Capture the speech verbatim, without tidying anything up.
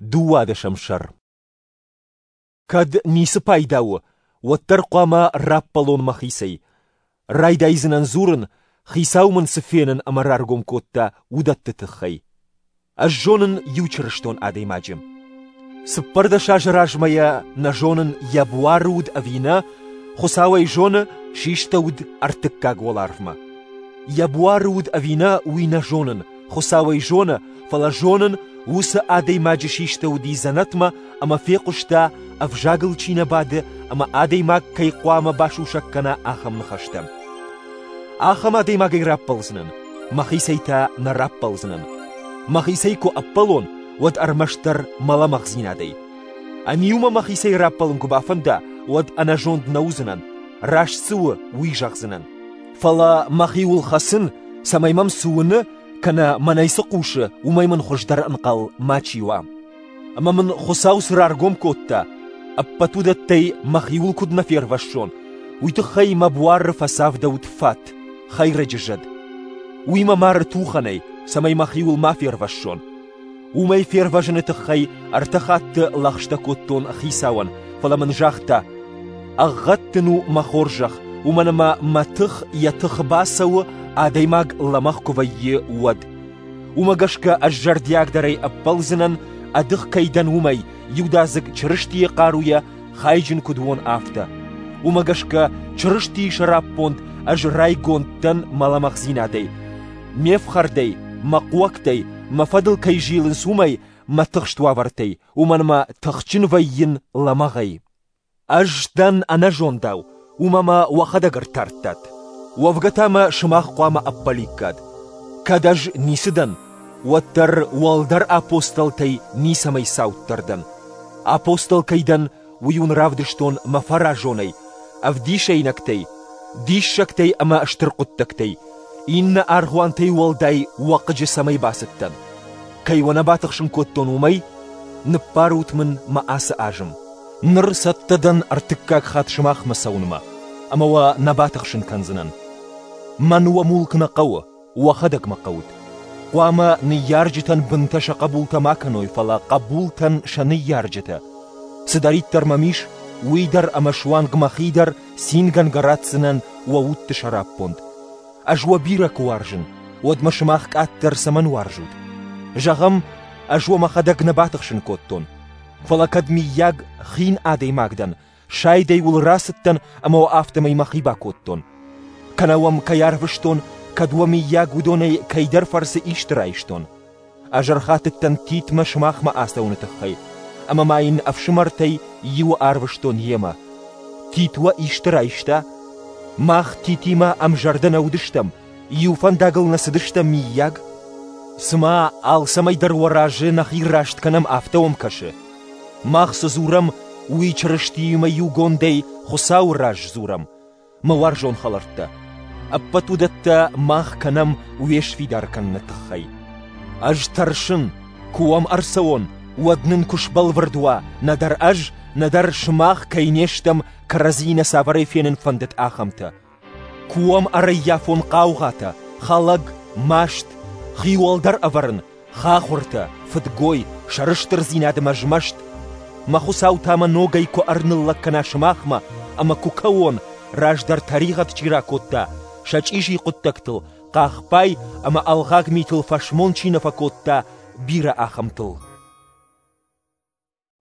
Дыууадӕсӕм сӕр. Кӕд ницы пайда у, уӕддӕр хъуамӕ раппӕлон мӕхицӕй. Райдайдзынӕн дзурын, Хицау мын цы фенын ӕмӕ раргом кодта, уыдӕтты тыххӕй. Ӕз зонын иу чырыстон адӕймаджы. Цыппӕрдӕс азы размӕ йӕ нӕ зонын, йӕ буары уыд ӕви нӕ, Хуыцау ӕй зоны, систӕуыд ӕртыккаг уӕларвмӕ. Йӕ буары уыд ӕви нӕ, уый нӕ зонын, Хуыцау ӕй зоны, фӕлӕ зонын, уыцы адӕймаджы систӕуыди дзӕнӕтмӕ ӕмӕ фехъуыста, ӕвзагыл чи нӕ бады ӕмӕ адӕймаг кӕй хъуамӕ басусӕг кӕна, ахӕм ныхӕстӕ. Ахӕм адӕймагӕй раппӕлдзынӕн, мӕхицӕй та нӕ раппӕлдзынӕн. Мӕхицӕй куы ӕппӕлон, уӕд ӕрмӕстдӕр мӕ лӕмӕгъдзинадӕй. Ӕниу мӕ мӕхицӕй раппӕлын куы бафӕнда, уӕд ӕнӕзонд нӕ уыдзынӕн, раст цы у, уый зӕгъдзынӕн. Фӕлӕ мӕхиуыл хӕцын, цӕмӕй мӕм цы уыны, кӕнӕ мӕнӕй цы хъусы, уымӕй мын хуыздӕр ӕнхъӕл мачи уа. Ӕмӕ мын Хуыцау цы раргом кодта, ӕппӕт уыдӕттӕй мӕхиуыл куыд нӕ фервӕссон, уый тыххӕй мӕ буары фӕцавдӕуыд фат, хӕйрӕджы зӕд. Уый мӕ мары тухӕнӕй, цӕмӕй мӕхиуыл ма фервӕссон. Уымӕй фервӕзыны тыххӕй ӕртӕ хатты лӕгъстӕ кодтон Хицауӕн, фӕлӕ мын загъта: «Ӕгъгъӕд дын у мӕ хорзӕх, уымӕн ӕмӕ мӕ тых йӕ тыхы бацӕуы, адӕймаг лӕмӕгъ куы вӕййы, уӕд». Уымӕ гӕсгӕ ӕз зӕрдиагдӕрӕй ӕппӕлдзынӕн, ӕдых кӕй дӕн, уымӕй, иудадзыг Чырыстийы хъаруйӕ хайджын куыд уон, афтӕ. Уымӕ гӕсгӕ Чырыстийы сӕраппонд ӕз райгонд дӕн мӕ лӕмӕгъдзинадӕй, ме фхӕрдӕй, мӕ хъуӕгтӕй, мӕ фӕдыл кӕй зилынц, уымӕй, мӕ тыхст уавӕртӕй, уымӕн ӕмӕ тыхджын вӕййын лӕмӕгъӕй. Ӕз дӕн ӕнӕзондау, уымӕ мӕ уӕхӕдӕг ӕртардтат. Уӕвгӕ та мӕ сымах хъуамӕ ӕппӕликкат. Кӕд ӕз ницы дӕн, уӕддӕр уӕлдӕр апостолтӕй ницӕмӕй цауддӕр дӕн. Апостол кӕй дӕн, уый уын равдыстон мӕ фӕразонӕй, ӕвдисӕйнӕгтӕй, диссӕгтӕй ӕмӕ стыр хъуыддӕгтӕй. Иннӕ аргъуантӕй уӕлдай уӕ хъыджы цӕмӕй бацыдтӕн. Кӕй уӕ нӕ батыхсын кодтон, уымӕй ныббарут мын мӕ ацы азым. Ныр цӕттӕ дӕн ӕртыккаг хатт сымахмӕ цӕуынмӕ, ӕмӕ уӕ нӕ батыхсын кӕндзынӕн. Мӕн уӕ мулк нӕ хъӕуы, уӕхӕдӕг мӕ хъӕут. Хъуамӕ ныййарджытӕн бынтӕ сӕ хъӕбултӕ ма кӕной, фӕлӕ хъӕбултӕн сӕ ныййарджытӕ. Цыдӕриддӕр мӕм ис, уый дӕр ӕмӕ суанг мӕхи дӕр цингӕнгӕ ратдзынӕн уӕ удты сӕраппонд. Ӕз уӕ бирӕ куы уарзын, уӕд мӕ сымах къаддӕр цӕмӕн уарзут? Зӕгъӕм, ӕз уӕ мӕхӕдӕг нӕ батыхсын кодтон. Фӕлӕ кӕд миййаг хин адӕймаг дӕн, сайдӕй уыл рацыдтӕн ӕмӕ уӕ афтӕмӕй мӕхи бакодтон. Кӕнӕ уӕм кӕй арвыстон, кӕд уӕ миййаг уыдонӕй кӕйдӕр фӕрцы исты райстон. Ӕз ӕрхатыдтӕн Титмӕ сымахмӕ ацӕуыны тыххӕй, ӕмӕ ма йын ӕфсымӕртӕй иуы арвыстон йемӕ. Тит уӕ исты райста? Мах Титимӕ ӕмзӕрдӕ нӕ уыдыстӕм, иу фӕндагыл нӕ цыдыстӕм миййаг? Цыма алцӕмӕй дӕр уӕ разы нӕхи раст кӕнӕм, афтӕ уӕм кӕсы. Мах цы дзурӕм, уый Чырыстиимӕ иугондӕй Хуыцауы раз дзурӕм. Мӕ уарзон хӕлӕрттӕ, ӕппӕт уыдӕттӕ мах кӕнӕм уе сфидар кӕныны тыххӕй. Ӕз тӕрсын, куы уӕм ӕрцӕуон, уӕд нын куы сбӕлвырд уа, нӕдӕр ӕз, нӕдӕр сымах кӕй не стӕм, кӕрӕдзийы нӕ цавӕрӕй фенын фӕндыд, ахӕмтӕ. Куы уӕм ӕрӕййафон хъаугъатӕ, хӕлӕг, маст, хиуӕлдӕр ӕвӕрын, хахуыртӕ, фыдгой, сӕрыстырдзинад ӕмӕ змӕст. Мӕ Хуыцау та мӕ ногӕй куы ӕрныллӕг кӕна сымахмӕ ӕмӕ куы кӕуон, раздӕр тӕригъӕд чи ракодта, сӕ чъизи хъуыддӕгтыл, хъахбай ӕмӕ ӕлгъаг митыл фӕсмон чи нӕ фӕкодта, бирӕ ахӕмтыл.